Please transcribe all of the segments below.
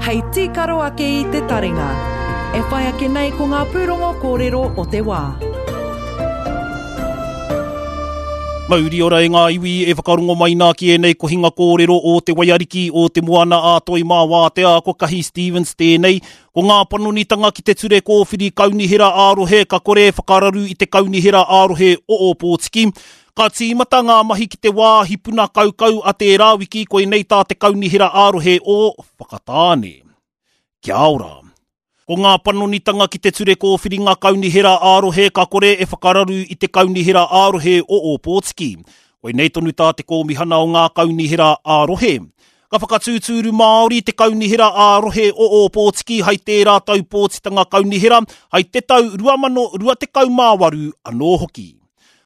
Hei tīkaro ake i te taringa. E whai ake nei ko ngā pūrongo kōrero o te wā. Mauri ora e ngā iwi e whakarongo mai nā ki ēnei kohinga kōrero o Te Waiariki o Te Moana a Toi mā Wātea, ko Kahi Stevens tēnei. Ko ngā panonitanga ki te ture kōwhiri kaunihera ā-rohe ka kore e whakararu i te kaunihera ā-rohe o Ōpōtiki. Ka tīmata ngā mahi ki te wāhi puna kaukau a tērā wiki, koinei tā te kaunihera ā-rohe o Whakatāne. Kia ora. Ko ngā panonitanga ki te ture kōwhiringa kaunihera ā-rohe ka kore e whakararu i te kaunihera ā-rohe o Ōpōtiki. Koinei tonu tā te Kōmihana o ngā Kaunihera ā-Rohe. Ka whakatūtūru Māori te Kaunihera ā-Rohe o Ōpōtiki hai tērā tau pōtitanga kaunihera, hai te tau 2028 anō hoki.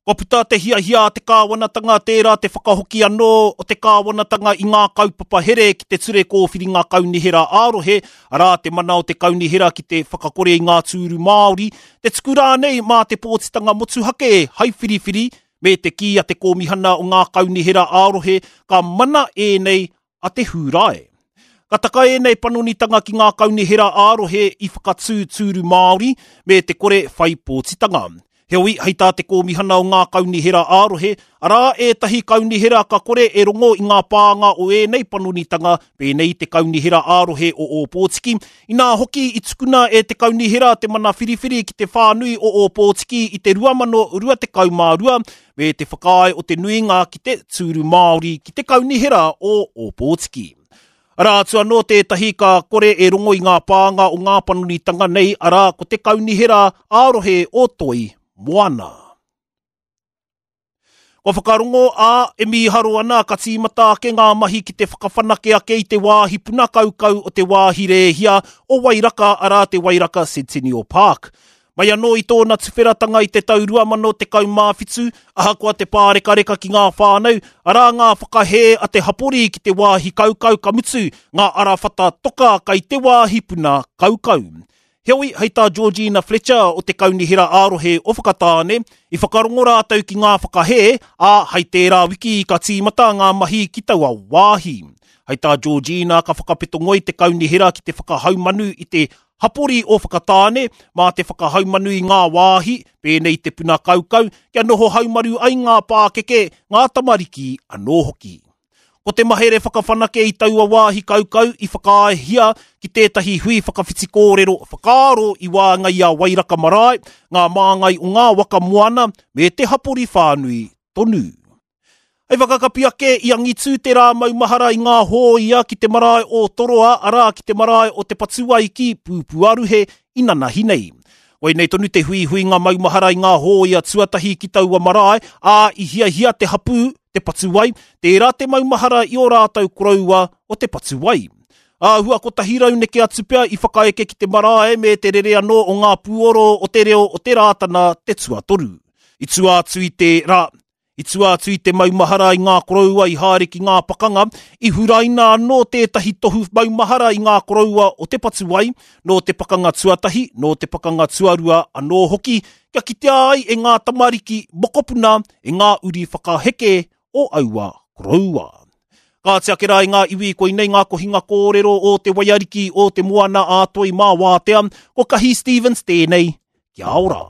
Kua puta te hiahia a te kāwanatanga tērā te whakahoki anō o te kāwanatanga i ngā kaupapa here ki te Ture Kōwhiringa Kaunihera ā-Rohe, arā, te mana o te kaunihera ki te whakakore i ngā tūru Māori, te tuku rānei mā te pōtitanga motuhake hai whiriwhiri, me te kī a te Kōmihana o ngā Kaunihera ā-Rohe ka mana ēnei a te Hūrae. Ka taka ēnei panonitanga ki ngā kaunihera ā-rohe i whakatū tūru Māori me te kore whai pōtitanga. Heoi, hei tā te Kōmihana o ngā Kaunihera ā-Rohe, arā ētahi kaunihera ka kore e rongo i ngā pānga o ēnei panonitanga pēnei i te Kaunihera ā-Rohe o Ōpōtiki, inā hoki i tukuna e te kaunihera te mana whiriwhiri ki te whānui o Ōpōtiki i te 2022 me te whakaae o te nuinga ki te tūru Māori ki te Kaunihera o Ōpōtiki. Arā atu anō tētahi ka kore e rongo i ngā pānga o ngā panonitanga nei, arā, ko te Kaunihera ā-rohe o Toi Moana. Kua whakarongo, ā, e mīharo ana ka tīmata ake ngā mahi ki te whakawhanake ake i te wāhi puna kaukau o te wāhi rēhia o Wairaka, arā, te Wairaka Centennial Park. Mai anō i tōna tuwheratanga i te tau 2017, ahakoa te pārekareka ki ngā whānau, arā ngā whakahē a te hapori ki te wāhi kaukau ka mutu, ngā arawhata toka kai te wāhi puna kaukau. Heoi, hei tā Georgina Fletcher o te Kaunihera ā-Rohe o Whakatāne, i whakarongo rātou ki ngā whakahē, ā, hei tērā wiki ka tīmata ngā mahi ki taua wāhi. Hei tā Georgina ka whakapeto ngoi te kaunihera ki te whakahaumanu i te Hapori o Whakatāne, mā te whakahaumanu i ngā wāhi, pēnei i te puna kaukau, kia noho haumaru ai ngā pākeke, ngā tamariki anō hoki. Ko te mahere whakawhanake i taua wāhi kaukau i whakaaehia ki tētahi hui whakawhiti kōrero whakaaro i waenga i a Wairaka Marae, ngā māngai o ngā waka moana me te hapori whānui tonu. Hei whakakapi ake, i angitū te rā maumahara i ngā hōia ki te marae o Toroa, arā, ki te marae o Te Patuwai ki Pūpūaruhe i nanahi nei. Koinei tonu te huihuinga maumahara i ngā hōia tuatahi ki taua marae, ā, i hiahia te hapū, Te Patuwai, tērā te maumahara i ō rātou koroua o Te Patuwai. Āhua 100 neke atu pea i whakaeke ki te marae me te rere anō o ngā pūoro o te reo o te Rātana te tuatoru. I tua atu i tērā, I tua atu i te maumahara i ngā koroua i haere ki ngā pakanga, i huraina anō tētahi tohu maumahara i ngā koroua o Te Patuwai, nō te pakanga tuatahi, nō te pakanga tuarua anō hoki, kia kitea ai e ngā tamariki, mokopuna, e ngā uri whakaheke o aua koroua. Kāti ake rā i ngā iwi, koinei ngā kohinga kōrero o Te Waiariki, o Te Moana-a-Toi mā Wātea, ko Kahi Stevens tēnei, kia ora!